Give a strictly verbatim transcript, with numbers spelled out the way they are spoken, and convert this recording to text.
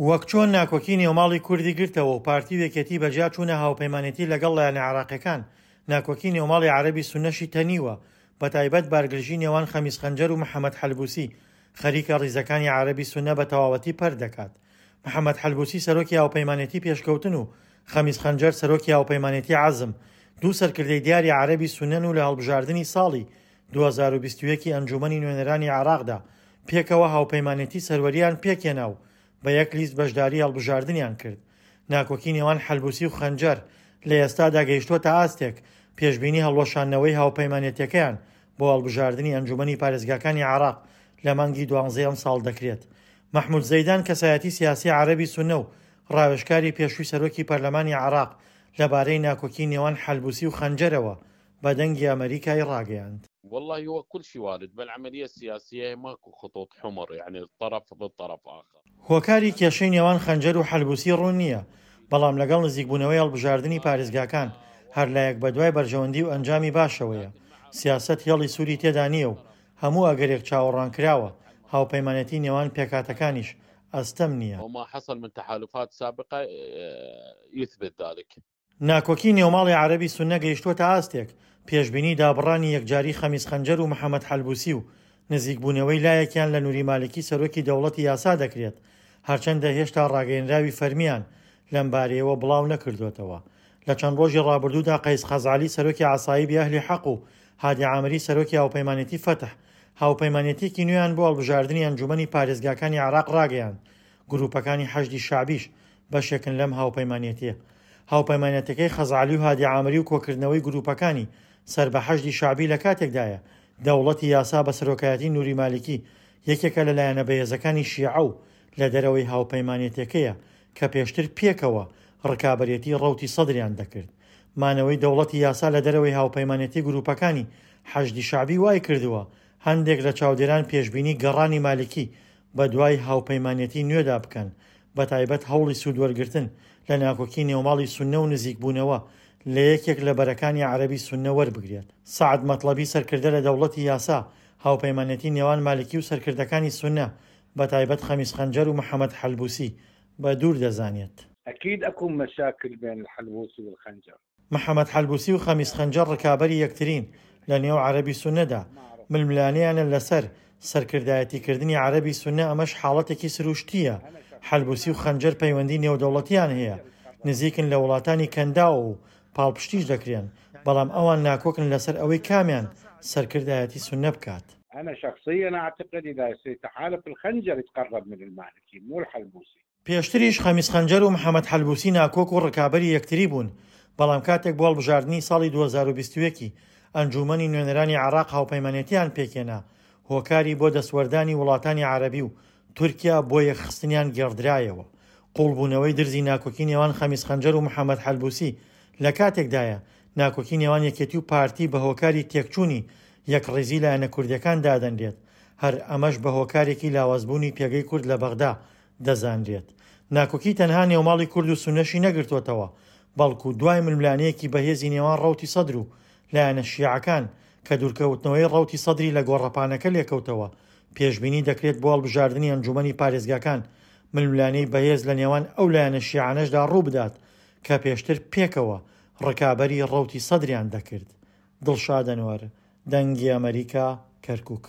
وەک چۆن ناکۆکی نێوماڵی کوردی گرتەوە و پارتی و یەکێتی بەجیا چوونە هاوپەیمانێتی لەگەڵ لایەنە عێراقیەکان، ناکۆکی نێوماڵی عەرەبی سوننەشی تەنیوە، بەتایبەت بارگرژی نێوان خەمیس خەنجەر و محەمەد حەلبوسی خەریکە ڕیزەکانی عەرەبی سوننە بە تەواوەتی پەرت دەکات. محەمەد حەلبوسی سەرۆکی هاوپەیمانێتی پێشکەوتن و خەمیس خەنجەر سەرۆکی هاوپەیمانێتی عەزم دوو سەرکردەی دیاری عەرەبی سوننەن و لە هەڵبژاردنی ساڵی دوو هەزار و بیست و یەک ی ئەنجوومەنی نوێنەرانی عێراقدا پێکەوە هاوپەیمانێتی سەروەرییان پێکهێنا و بە یەک لیست بەشداری هەڵبژاردنیان کرد. ناکۆکی نێوان حەلبوسی و خەنجەر لە ئێستادا گەیشتووەتە ئاستێک پێشبینی هەڵوەشاندنەوەی هاوپەیمانێتیەکەیان بۆ هەڵبژاردنی ئەنجوومەنی پارێزگاکانی عێراق لە مانگی دوانزەی ئەمساڵ دەکرێت. مەحمود زەیدان کەسایەتی سیاسی عەرەبی سوننە و ڕاوێژکاری پێشووی سەرۆکی پەرلەمانی عێراق لەبارەی ناکۆکی نێوان حەلبوسی و خەنجەرەوە بە دەنگی ئەمەریکای ڕاگەیاند. والله هو كل شيء وارد بالعملية السياسية ماكو خطوط حمر يعني طرف ضد طرف آخر. هۆکاری کێشەی نێوان خەنجەر و حەلبوسی ڕوون نییە، بەڵام لەگەڵ نزیکبوونەوەی هەڵبژاردنی پارێزگاکان هەر لایەک بەدوای بەرژەوەندی و ئەنجامی باشەوەیە. سیاسەت هێڵی سووری تێدا نییە و هەموو ئەگەرێک چاوەڕوانکراوە، هاوپەیمانێتی نێوان پێکهاتەکانیش ئەستەم نییە. وما حصل من تحالفات سابقة يثبت ذلك. ناکۆکی نێوماڵی عەرەبی سوننە گەیشتووەتە ئاستێک پێشبینی دابڕانی یەکجاری خەمیس خەنجەر و محەمەد حەلبوسی و نزیکبوونەوەی لایەکیان لە نوری مالکی سەرۆکی دەوڵەتی یاسا دەکرێت، هەرچەندە هێشتا ڕاگەیەنراوی فەرمیان لەم بارەیەوە بڵاو نەکردوێتەوە. لە چەند ڕۆژی ڕابردوودا قەیس خەزعەلی سەرۆکی عەسایبی ئەهلی حەق و هادی عامری سەرۆکی هاوپەیمانێتی فەتح هاوپەیمانێتیەکی نوێیان بۆ هەڵبژاردنی ئەنجومەنی پارێزگاکانی عێراق ڕاگەیاند. گروپەکانی حەشدی شەعبیش بەشێکن لەم هاوپەیمانێتیە. هاوپەیمانێتەکەی خەزعەلی و هادی عامری و کۆکردنەوەی گروپەکانی سەر بە حەشدی شەعبی لە کاتێکدایە دەوڵەتی یاسا بە سەرۆکایەتی نوری مالکی یەکێکە لە لایەنە بەهێزەکانی شیعە و لە دەرەوەی هاوپەیمانێتەکەیە کە پێشتر پێکەوە ڕکابەرێتی ڕەوتی سەدریان دەکرد. مانەوەی دەوڵەتی یاسا لە دەرەوەی هاوپەیمانێتی گروپەکانی حەشدی شەعبی وای کردووە هەندێک لە چاودێران پێشبینی گەڕانی مالکی بە دوای هاوپەیمانێتی نوێدا بکەن، بە تایبەت هەوڵی سوودوەرگرتن لە ناکۆکی نێوماڵی سوننە و نزیکبوونەوە لە یەکێک لە بەرەکانی عەرەبی سوننە وەربگرێت. سەعد مەطلەبی سەرکردە لە دەوڵەتی یاسا هاوپەیمانێتی نێوان مالکی و سەرکردەکانی سوننە بە تایبەت خەمیس خەنجەر و محەمەد حەلبوسی بە دوور دەزانێت. أكيد أكو مشاكل بين الحلبوسي والخنجر. محەمەد حەلبوسی و خەمیس خەنجەر ڕکابەری یەکترین لە نێو عەرەبی سوننەدا، ململانێیانە لەسەر سەرکردایەتیکردنی عەرەبی سوننە، ئەمەش حاڵەتێکی سروشتییە. حەلبوسی و خەنجەر پەیوەندی نێودەوڵەتیان هەیە، نزیکن لە وڵاتانی کەنداوە و پاڵپشتیش دەکرێن، بەڵام ئەوان ناکۆکن لەسەر ئەوەی کامیان سەرکردایەتی سوننە بکات. أنا شخصيا أعتقد إذا يصير تحالف الخنجر يتقرب من المالكي مو الحلبوسي. پێشتریش خەمیس خەنجەر و محەمەد حەلبوسی ناکۆک و ڕکابەری یەکتری بوون، بەڵام کاتێک بۆ هەڵبژاردنی ساڵی دوو هەزار و بیست و یەک ئەنجومەنی نوێنەرانی عێراق هاوپەیمانێتیان پێکهێنا، هۆکاری بۆ دەستوەردانی وڵاتانی عەرەبی و تورکیا بۆ یەکخستنیان گێڕدرایەوە. قوڵبوونەوەی درزی ناکۆکی نێوان خەمیس خەنجەر و محەمەد حەلبوسی لە کاتێکدایە ناکۆکی نێوان یەکێتی و پارتی بە هۆکاری تێکچوونی یەکڕیزی لایەنە کوردیەکان دادەنرێت، هەر ئەمەش بە هۆکارێکی لاوازبوونی پێگەی کورد لە بەغدا دەزانرێت. ناکۆکی تەنها نێوماڵی کورد و سوننەشی نەگرتووەتەوە، بەڵکو دوای ململانێیەکی بەهێزی نێوان ڕەوتی سەدر و لایەنە شیعەکان کە دوورکەوتنەوەی ڕەوتی سەدری لە گۆڕەپانەکە لێکەوتەوە، پێشبینی دەکرێت بۆ هەڵبژاردنی ئەنجومەنی پارێزگاکان ململانێی بەهێز لە نێوان ئەو لایەنە شیعانەشدا ڕوو بدات کە پێشتر پێکەوە ڕکابەری ڕەوتی سەدریان دەکرد. دڵشاد ئەنوەر، دەنگی ئەمریکا، کەرکووک.